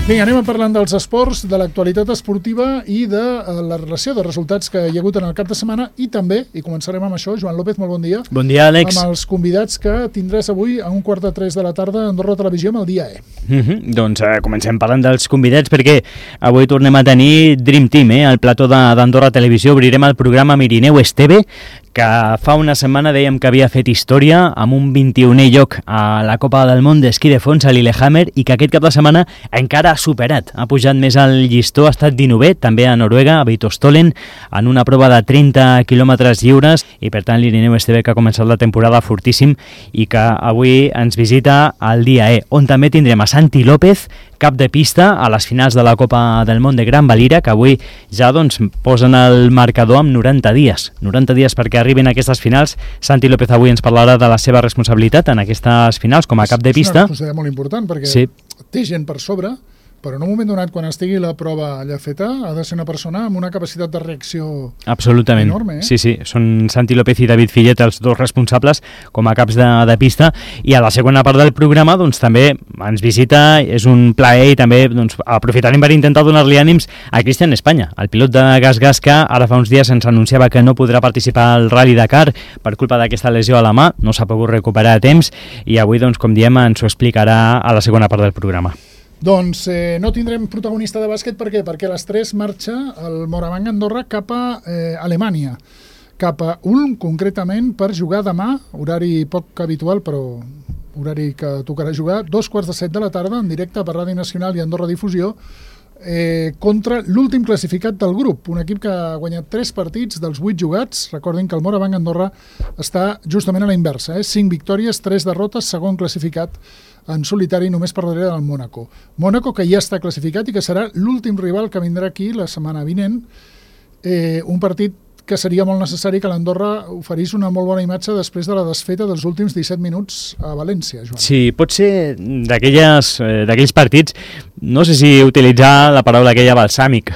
Vinga, anem parlant dels esports, de l'actualitat esportiva i de la relació de resultats que hi ha hagut en el cap de setmana i també, i començarem amb això, Joan López, molt bon dia. Bon dia, Àlex. Amb els convidats que tindràs avui a 2:45 de la tarda a Andorra Televisió amb el Dia E. Doncs comencem parlant dels convidats perquè avui tornem a tenir Dream Team, al plató d'Andorra Televisió. Obrirem el programa amb Irineu Esteve, que fa una setmana dèiem que havia fet història amb un 21è lloc a la Copa del Món d'esquí de fons a Lillehammer i que aquest cap de setmana encara ha superat. Ha pujat més al llistó, ha estat 19è, també a Noruega, a Beitostølen, en una prova de 30 quilòmetres lliures i per tant l'Irineu Esteve que ha començat la temporada fortíssim i que avui ens visita al Dia E, on també tindrem a Santi López, cap de pista a les finals de la Copa del Món de Gran Valira, que avui ja posen el marcador amb 90 dies. 90 dies perquè arribin a aquestes finals. Santi López avui ens parlarà de la seva responsabilitat en aquestes finals com a cap de pista. És una responsabilitat molt important perquè té gent per sobre, però en un moment donat, quan estigui la prova allà feta, ha de ser una persona amb una capacitat de reacció absolutament enorme. Sí, són Santi López i David Fillet els dos responsables com a caps de pista. I a la segona part del programa també ens visita, és un plaer i també aprofitarem per intentar donar-li ànims a Cristian Espanya, el pilot de GasGas que ara fa uns dies ens anunciava que no podrà participar al Rally Dakar per culpa d'aquesta lesió a la mà, no s'ha pogut recuperar a temps i avui, com diem, ens ho explicarà a la segona part del programa. Doncs no tindrem protagonista de bàsquet, per què? Perquè a les 3 marxa el Moravang Andorra cap a Alemanya, cap a Ulm concretament, per jugar demà, horari poc habitual però horari que tocarà jugar, 2:45 de la tarda en directe per Ràdio Nacional i Andorra Difusió, contra l'últim classificat del grup, un equip que ha guanyat 3 partits dels 8 jugats. Recordin que el Moravang Andorra està justament a la inversa, 5 victòries, 3 derrotes, segon classificat en solitari només per darrere del Mónaco. Mónaco que ja està classificat i que serà l'últim rival que vindrà aquí la setmana vinent, un partit que seria molt necessari que l'Andorra oferís una molt bona imatge després de la desfeta dels últims 17 minuts a València, Joan. Sí, pot ser d'aquells partits, no sé si utilitzar la paraula aquella balsàmic,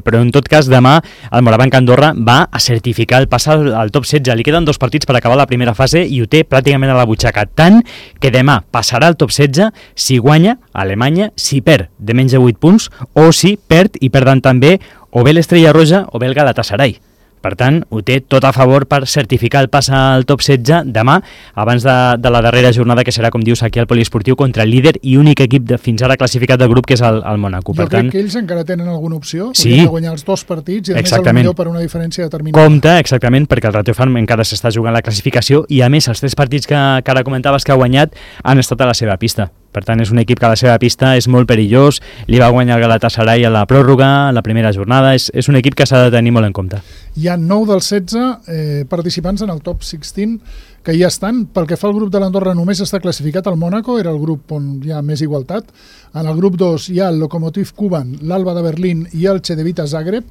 però en tot cas demà el Moravang Andorra va a certificar el pas al top 16. Li queden 2 partits per acabar la primera fase i ho té pràcticament a la butxaca, tant que demà passarà al top 16 si guanya Alemanya, si perd de menys de 8 punts o si perd i perden també o bé l'Estrella Roja o bé el Galatasaray. Per tant, ho té tot a favor per certificar el pas al top 16 demà, abans de la darrera jornada que serà, com dius, aquí al Poliesportiu contra el líder i únic equip fins ara classificat del grup, que és el Mónaco. Jo crec que ells encara tenen alguna opció, sí, de guanyar els 2 partits i a més el millor per una diferència determinada. Compte, exactament, perquè el Ratio Farm encara s'està jugant la classificació i a més els 3 partits que ara comentaves que ha guanyat han estat a la seva pista. Per tant, és un equip que a la seva pista és molt perillós, li va guanyar el Galatasaray a la pròrroga, a la primera jornada, és un equip que s'ha de tenir molt en compte. Hi ha 9 dels 16 participants en el top 16 que ja estan. Pel que fa al grup de l'Andorra només està classificat el Mónaco, era el grup on hi ha més igualtat. En el grup 2 hi ha el Lokomotiv Kuban, l'Alba de Berlín i el Cedevita Zagreb.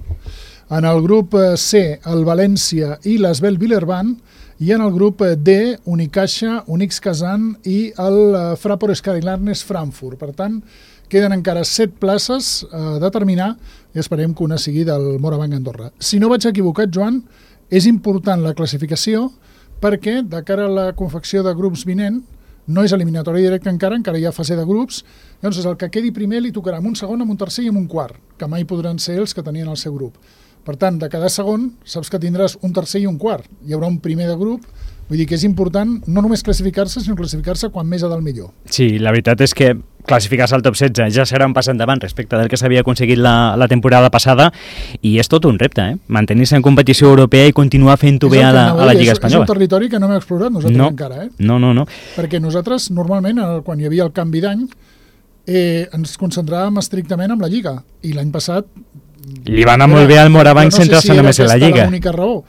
En el grup C, el València i l'Asvel Villeurbanne. I en el grup D, Unicaja, Unix Kazan i el Fraport Skylarnes Frankfurt. Per tant, queden encara 7 places a determinar i esperem que una sigui del Moravang Andorra. Si no vaig equivocat, Joan, és important la classificació perquè de cara a la confecció de grups vinent no és eliminatòria directa encara hi ha fase de grups, llavors el que quedi primer li tocarà amb un segon, amb un tercer i amb un quart, que mai podran ser els que tenien el seu grup. Per tant, de cada segon, saps que tindràs un tercer i un quart. Hi haurà un primer de grup, vull dir que és important no només classificar-se, sinó classificar-se quan més ha del millor. Sí, la veritat és que classificar-se al top 16 ja serà un pas endavant respecte del que s'havia aconseguit la temporada passada i és tot un repte, mantenir-se en competició europea i continuar fent-ho bé a la Lliga Espanyola. És un territori que no hem explorat nosaltres encara. No. Perquè nosaltres, normalment, quan hi havia el canvi d'any, ens concentràvem estrictament en la Lliga. I l'any passat li va anar molt bé al Moravang centrar-se només en la Lliga. No sé si era l'única raó,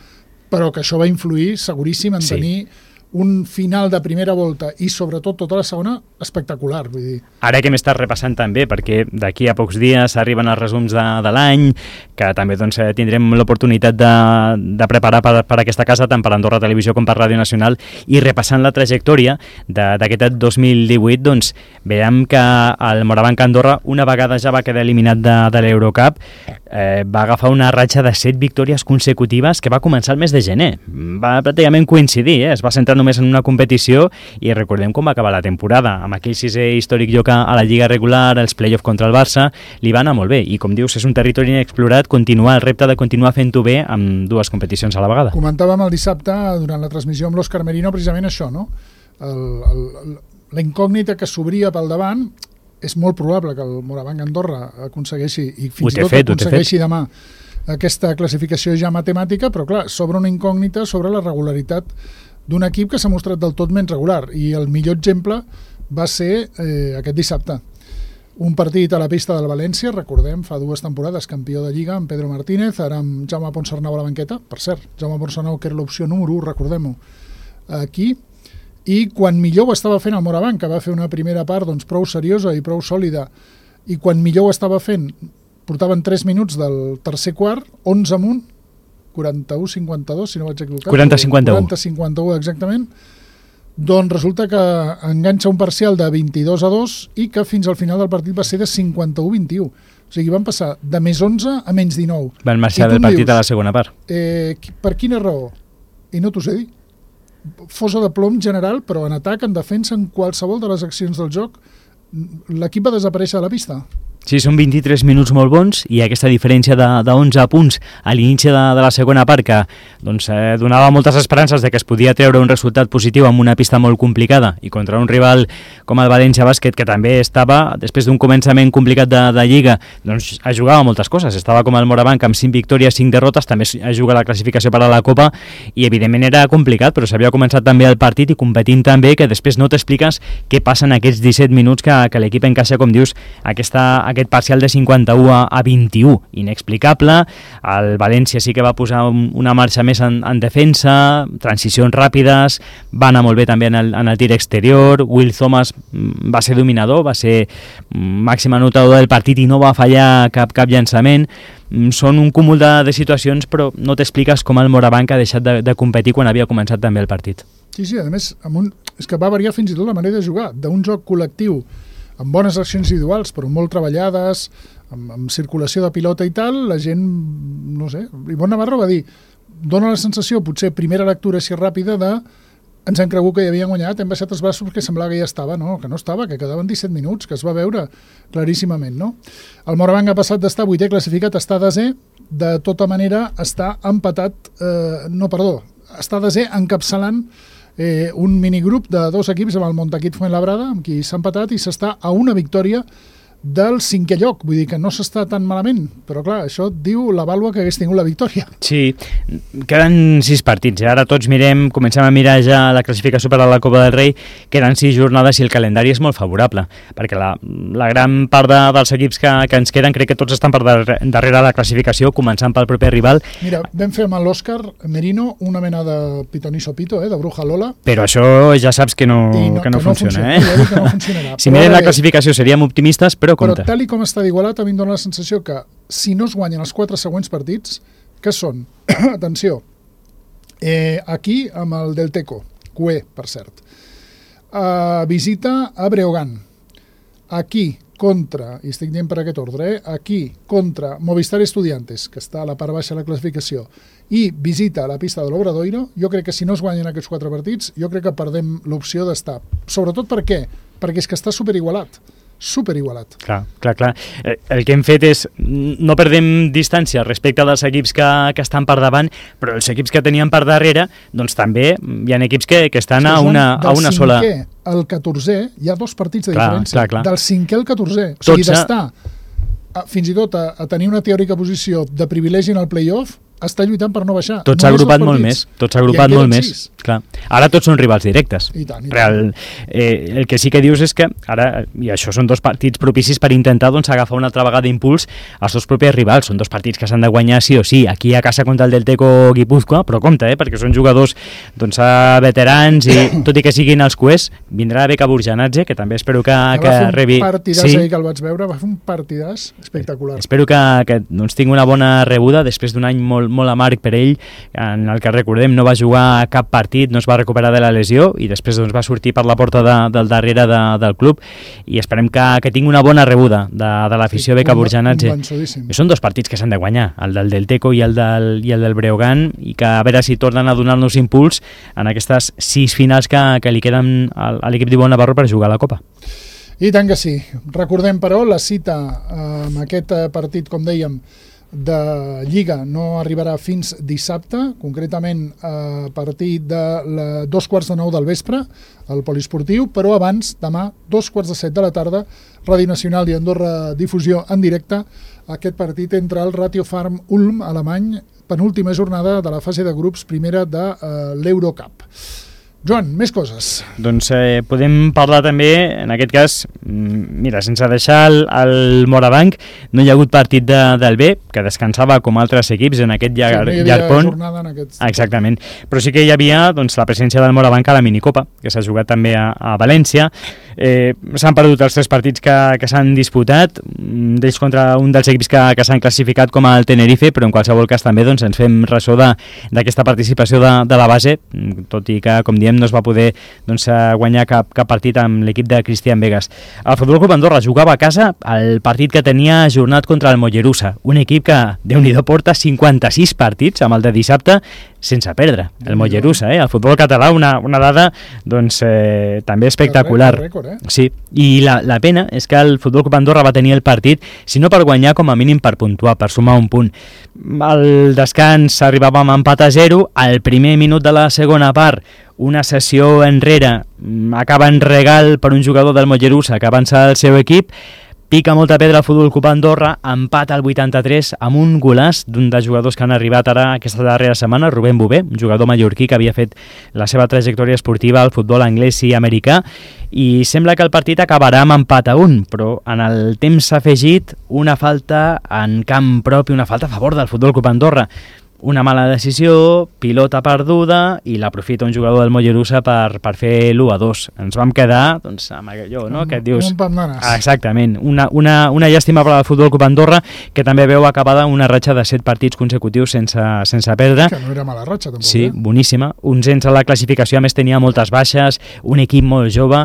però que això va influir seguríssim en tenir un final de primera volta i sobretot tota la segona espectacular, vull dir. Ara que hem estat repassant també, perquè d'aquí a pocs dies arriben els resums de l'any, que també tindrem l'oportunitat de preparar per aquesta casa, tant per Andorra Televisió com per Ràdio Nacional, i repassant la trajectòria d'aquest 2018, veiem que el Moravang Andorra una vegada ja va quedar eliminat de l'Eurocup, va agafar una ratxa de 7 victòries consecutives que va començar el mes de gener. Va pràcticament coincidir, es va centrar només en una competició, i recordem com va acabar la temporada, amb aquell 6è històric lloc a la Lliga regular, els play-off contra el Barça, li va anar molt bé, i com dius, és un territori inexplorat, continuar el repte de continuar fent-ho bé amb 2 competicions a la vegada. Comentàvem el dissabte, durant la transmissió amb l'Òscar Merino, precisament això, no? La incògnita que s'obria pel davant, és molt probable que el Morabanc Andorra aconsegueixi, i fins i tot aconsegueixi demà, aquesta classificació ja matemàtica, però clar, s'obre una incògnita sobre la regularitat d'un equip que s'ha mostrat del tot menys regular, i el millor exemple va ser aquest dissabte. Un partit a la pista del València, recordem, fa 2 temporades campió de Lliga amb Pedro Martínez, ara amb Jaume Ponsarnau a la banqueta, per cert, Jaume Ponsarnau que era l'opció número 1, recordem-ho, aquí, i quan millor ho estava fent el Morabanc, que va fer una primera part doncs, prou seriosa i prou sòlida, i quan millor ho estava fent, portaven 3 minuts del tercer quart, 11 amunt, 41-52, si no vaig equivocar. 40-51. 40-51, exactament. Doncs resulta que enganxa un parcial de 22-2 i que fins al final del partit va ser de 51-21. O sigui, van passar de més 11 a menys 19. Van marxar del partit a la segona part. Per quina raó? I no t'ho sé dir. Fosa de plom general, però en atac, en defensa, en qualsevol de les accions del joc, l'equip va desaparèixer de la pista. Sí, són 23 minuts molt bons i aquesta diferència de 11 punts a l'inici de la segona part que doncs, donava moltes esperances de que es podia treure un resultat positiu amb una pista molt complicada i contra un rival com el València Bàsquet, que també estava, després d'un començament complicat de Lliga, doncs jugava moltes coses. Estava com el Morabanc amb 5 victòries, 5 derrotes, també juga la classificació per a la Copa i evidentment era complicat, però s'havia començat també el partit i competint també, que després no t'expliques què passa en aquests 17 minuts que l'equip encaixa, com dius, aquest parcial de 51 a 21, inexplicable. El València sí que va posar una marxa més en defensa, transicions ràpides, va anar molt bé també en el tir exterior, Will Thomas va ser dominador, va ser màxim anotador del partit i no va fallar cap llançament. Són un cúmul de situacions, però no t'expliques com el Morabanc ha deixat de competir quan havia començat també el partit. Sí, a més, és que va variar fins i tot la manera de jugar, d'un joc col·lectiu amb bones accions individuals, però molt treballades, amb circulació de pilota i tal, la gent, no sé, Ivonne Navarro va dir, dona la sensació, potser primera lectura així ràpida, ens hem cregut que ja havien guanyat, hem baixat els braços perquè semblava que ja estava, no, que no estava, que quedaven 17 minuts, que es va veure claríssimament, no? El Morabanc ha passat d'estar 8è classificat a estar 10è, de tota manera està empatat, està 10è encapçalant un minigrup de 2 equips amb el Montaquit Fuenlabrada, amb qui s'ha empatat i s'està a una victòria del 5è lloc, vull dir que no s'està tan malament, però clar, això diu la vàlua que hagués tingut la victòria. Sí, queden 6 partits, ara tots comencem a mirar ja la classificació per a la Copa del Rei, queden 6 jornades i el calendari és molt favorable, perquè la gran part dels equips que ens queden, crec que tots estan per darrere la classificació, començant pel proper rival. Mira, vam fer amb l'Òscar Merino una mena de pitoniso pito, de bruja Lola. Però això ja saps que no funciona, eh? Que no funcionarà. Si mirem la classificació seríem optimistes, però compte. Però tal com està d'igualat, a mi em dóna la sensació que si no es guanyen els 4 següents partits, que són, atenció, aquí amb el Delteco, Cué, per cert, visita a Breogán, aquí contra, i estic dient per aquest ordre, aquí contra Movistar Estudiantes, que està a la part baixa de la classificació, i visita a la pista de l'Obradoiro, jo crec que si no es guanyen aquests 4 partits, jo crec que perdem l'opció d'estar. Sobretot per què? Perquè és que està superigualat. Superigualat. Clar. El que hem fet és no perdem distància respecte dels equips que estan per davant, però els equips que tenien per darrere, doncs també hi ha equips que estan a una sola... Del 5è al 14è hi ha 2 partits de diferència. Clar. Del 5è al 14è. O sigui, d'estar fins i tot a tenir una teòrica posició de privilegi en el play-off, està lluitant per no baixar. Tots s'ha agrupat molt més. Clar. Ara tots són rivals directes. I tant. El que sí que dius és que ara, i això són 2 partits propicis per intentar agafar una altra vegada impuls als 2 propis rivals. Són 2 partits que s'han de guanyar sí o sí. Aquí a casa contra el Delteco Guipúzcoa, però compte, perquè són jugadors veterans i tot i que siguin els Cués, vindrà Beca Burjanatge, que també espero que rebi... Va fer un partidàs ahir que el vaig veure, va fer un partidàs espectacular. Espero que tingui una bona rebuda després d'un any molt molt amarg per ell, en el que recordem no va jugar cap partit, no es va recuperar de la lesió i després doncs, va sortir per la porta del darrere del club i esperem que tingui una bona rebuda de l'afició beca Burjanats. Són dos partits que s'han de guanyar, el del Teco i el del Breogán, i que a veure si tornen a donar-nos impuls en aquestes 6 finals que li queden a l'equip d'Ivonne Navarro per jugar a la Copa. I tant que sí. Recordem, però, la cita amb aquest partit, com dèiem, de Lliga no arribarà fins dissabte, concretament a partir de 2:15 del vespre, al Poliesportiu, però abans, demà, 2:15 de la tarda, Ràdio Nacional i Andorra Difusió en directe, aquest partit entre el Ratio Farm Ulm alemany, penúltima jornada de la fase de grups primera de l'Eurocup. Joan, més coses. Doncs podem parlar també, en aquest cas, mira, sense deixar el Morabanc, no hi ha hagut partit del B, que descansava com altres equips en aquest llarg pont. Jornada en aquest... Exactament, però sí que hi havia doncs, la presència del Morabanc a la minicopa, que s'ha jugat també a València. S'han perdut els 3 partits que s'han disputat, d'ells contra un dels equips que s'han classificat com el Tenerife, però en qualsevol cas també doncs, ens fem ressò d'aquesta participació de la base, tot i que, com diem, no es va poder doncs, guanyar cap partit amb l'equip de Cristian Vegas. El Futbol Club Andorra jugava a casa el partit que tenia ajornat contra el Mollerussa, un equip que, Déu-n'hi-do, porta 56 partits amb el de dissabte sense perdre, el Mollerussa, el futbol català, una dada doncs, també espectacular. Rècord. Sí, i la pena és que el Futbol Club Andorra va tenir el partit, si no per guanyar, com a mínim per puntuar, per sumar un punt. Al descans arribàvem a empat a 0, al primer minut de la segona part, una sessió enrere, acaba en regal per un jugador del Mollerussa que avança al seu equip, pica molta pedra al Futbol Club Andorra, empat al 83 amb un golaç d'un dels jugadors que han arribat ara aquesta darrera setmana, Rubén Bové, un jugador mallorquí que havia fet la seva trajectòria esportiva al futbol anglès i americà, i sembla que el partit acabarà amb empat a 1, però en el temps s'ha afegit una falta en camp propi, una falta a favor del Futbol Club Andorra. Una mala decisió, pilota perduda, i l'aprofita un jugador del Mollerussa per fer l'1-2. Ens vam quedar doncs, amb allò, no? Que et dius... Un pam nanes. Exactament. Una llàstima per al Futbol Club Andorra, que també veu acabada una ratxa de 7 partits consecutius sense perdre. Que no era mala ratxa, tampoc. Sí, boníssima. Uns a la classificació, a més tenia moltes baixes, un equip molt jove.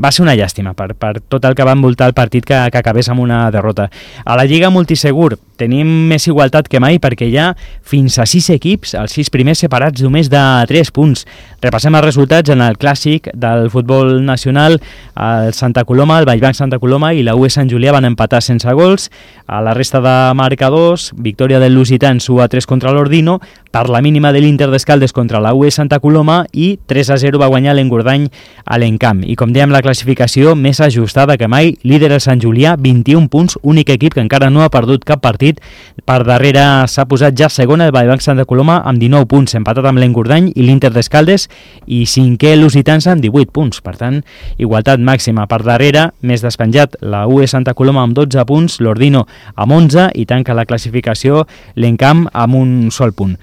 Va ser una llàstima per tot el que va envoltar el partit que acabés amb una derrota. A la Lliga Multisegur tenim més igualtat que mai, perquè hi ha fins a 6 equips, els 6 primers separats només de 3 punts. Repassem els resultats en el clàssic del futbol nacional. El Santa Coloma, el Vallbanc Santa Coloma i la UE Sant Julià van empatar sense gols. A la resta de marcadors, victòria del Lusitans 1-3 contra l'Ordino, per la mínima de l'Inter d'Escaldes contra la UE Santa Coloma, i 3-0 va guanyar l'Engordany a l'Encamp. I com dèiem, la classificació més ajustada que mai, líder el Sant Julià, 21 punts, únic equip que encara no ha perdut cap partit. Per darrere s'ha posat ja segona el Vallbanc Santa Coloma amb 19 punts, empatat amb l'Engordany i l'Inter d'Escaldes, i cinquè Lusitans amb 18 punts. Per tant, igualtat màxima. Per darrere, més despenjat, la UE Santa Coloma amb 12 punts, l'Ordino amb 11, i tanca la classificació l'Encamp amb un sol punt.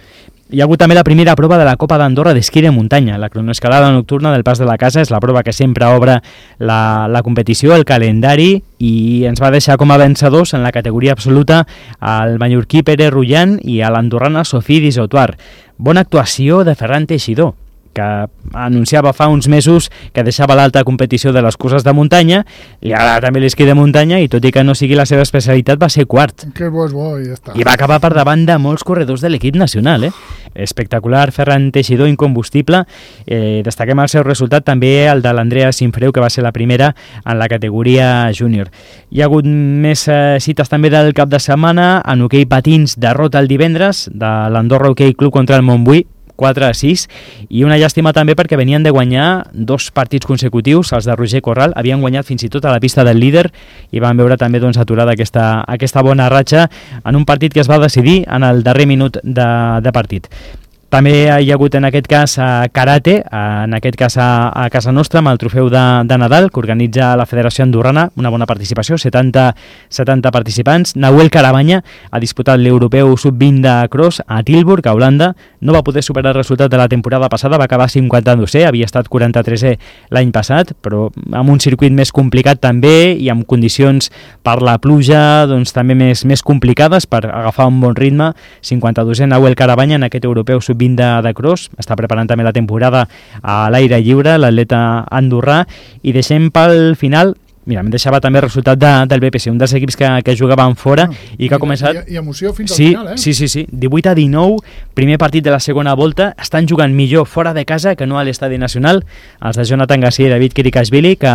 Hi ha hagut també la primera prova de la Copa d'Andorra d'esquí de muntanya. La cronoescalada nocturna del Pas de la Casa és la prova que sempre obre la competició, el calendari, i ens va deixar com a vencedors en la categoria absoluta el mallorquí Pere Rullan i a l'andorrana Sofí Disautuar. Bona actuació de Ferran Teixidor, que anunciava fa uns mesos que deixava l'alta competició de les curses de muntanya, i ara també l'esquí de muntanya, i tot i que no sigui la seva especialitat, va ser quart. Que bo, i ja està. I va acabar per davant de molts corredors de l'equip nacional, Espectacular, Ferran Teixidor, incombustible. Destaquem el seu resultat, també el de l'Andrea Sinfreu, que va ser la primera en la categoria júnior. Hi ha hagut més cites també del cap de setmana. En hoquei patins, derrota el divendres de l'Andorra Hockey Club contra el Montbui, 4-6, i una llàstima també perquè venien de guanyar 2 partits consecutius. Els de Roger Corral havien guanyat fins i tot a la pista del líder i van veure també doncs, aturada aquesta bona ratxa en un partit que es va decidir en el darrer minut de partit. També hi ha hagut en aquest cas karate, en aquest cas a casa nostra, amb el trofeu de Nadal, que organitza la Federació Andorrana, una bona participació, 70 participants. Nahuel Carabanya ha disputat l'europeu sub-20 de cross a Tilburg, a Holanda. No va poder superar el resultat de la temporada passada, va acabar 52è, havia estat 43è l'any passat, però amb un circuit més complicat també i amb condicions per la pluja doncs, també més complicades per agafar un bon ritme. 52è Nahuel Carabanya en aquest europeu sub-20 de cross, està preparant també la temporada a l'aire lliure, l'atleta andorrà, i deixem pel final. Mira, em deixava també el resultat del BPC, un dels equips que jugaven fora i que ha començat... I emoció fins al final, eh? Sí, 18-19, primer partit de la segona volta, estan jugant millor fora de casa que no a l'Estadi Nacional, els de Jonathan Garcia i David Kirikashvili, que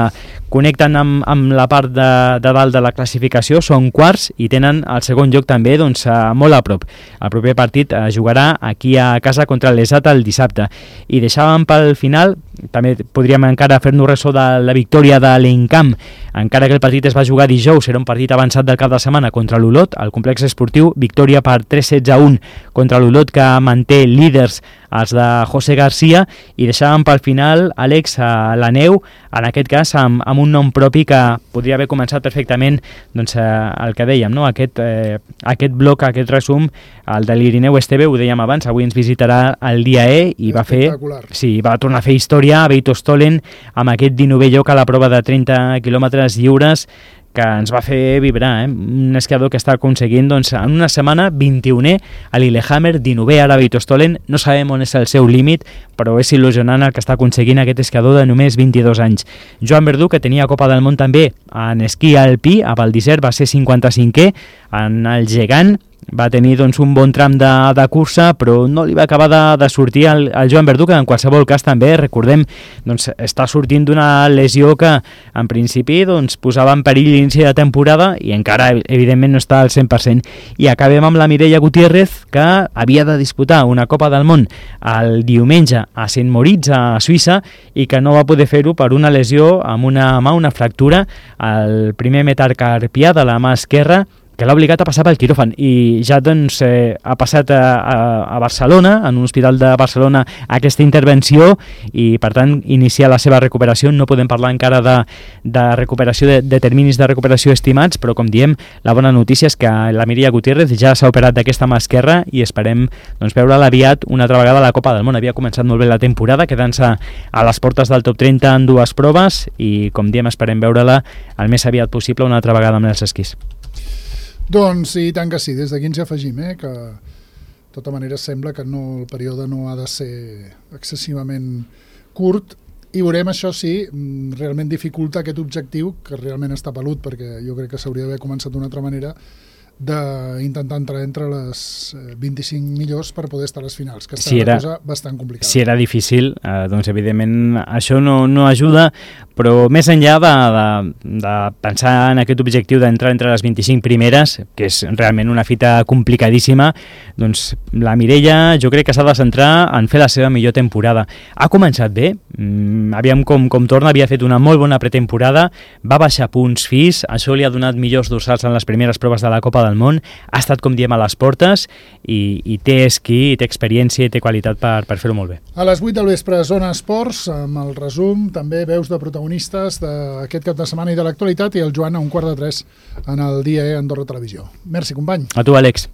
connecten amb la part de dalt de la classificació, són quarts i tenen el segon lloc també doncs, molt a prop. El proper partit jugarà aquí a casa contra l'Esat el dissabte. I deixàvem pel final, també podríem encara fer-nos ressò de la victòria de l'Encamp, encara que el partit es va jugar dijous, era un partit avançat del cap de setmana contra l'Olot, al complex esportiu, victòria per 3-16-1 contra l'Olot, que manté líders els de José García, i deixàvem pel final, Àlex, la neu, en aquest cas amb un nom propi que podria haver començat perfectament doncs, el que dèiem, no? Aquest bloc, aquest resum, el de l'Irineu Esteve, ho dèiem abans, avui ens visitarà el dia E i va tornar a fer història a Beitostolen amb aquest 19è lloc a la prova de 30 quilòmetres lliures, que ens va fer vibrar, un esquiador que està aconseguint doncs, en una setmana 21è a Lillehammer, 19è ara a Beitostolen. No sabem on és el seu límit, però és il·lusionant el que està aconseguint aquest esquiador de només 22 anys. Joan Verdú, que tenia Copa del Món també en esquí alpí, a Val d'Isère va ser 55è, en el gegant va tenir doncs, un bon tram de cursa, però no li va acabar de sortir al Joan Verdú, que en qualsevol cas també, recordem, doncs, està sortint d'una lesió que en principi doncs, posava en perill l'inici de temporada i encara evidentment no està al 100%. I acabem amb la Mireia Gutiérrez, que havia de disputar una Copa del Món el diumenge a Saint Moritz, a Suïssa, i que no va poder fer-ho per una lesió amb una mà, una fractura al primer metacarpià de la mà esquerra, que l'ha obligat a passar pel quiròfan, i ja doncs, ha passat a Barcelona, en un hospital de Barcelona, aquesta intervenció, i per tant iniciar la seva recuperació. No podem parlar encara de recuperació, de terminis de recuperació estimats, però com diem, la bona notícia és que la Mireia Gutiérrez ja s'ha operat d'aquesta mà esquerra i esperem doncs, veure-la aviat una altra vegada a la Copa del Món. Havia començat molt bé la temporada, quedant-se a les portes del top 30 en 2 proves, i com diem, esperem veure-la el més aviat possible una altra vegada amb els esquís. Doncs i tant que sí, des d'aquí ens hi afegim, que de tota manera sembla que el període no ha de ser excessivament curt, i veurem, això sí, realment dificulta aquest objectiu, que realment està pelut, perquè jo crec que s'hauria d'haver començat d'una altra manera, d'intentar entrar entre les 25 millors per poder estar a les finals, que està una cosa bastant complicada. Si era difícil, doncs evidentment això no ajuda, però més enllà de pensar en aquest objectiu d'entrar entre les 25 primeres, que és realment una fita complicadíssima, doncs la Mireia jo crec que s'ha de centrar en fer la seva millor temporada. Ha començat bé, aviam com torna, havia fet una molt bona pretemporada, va baixar punts FIS, això li ha donat millors dorsals en les primeres proves de la Copa del Món, ha estat, com diem, a les portes, i té esquí, té experiència i té qualitat per fer-ho molt bé. A les 8 del vespre, Zona Esports, amb el resum, també veus de protagonistes d'aquest cap de setmana i de l'actualitat, i el Joan a 2:45 en el dia Andorra Televisió. Merci, company. A tu, Àlex.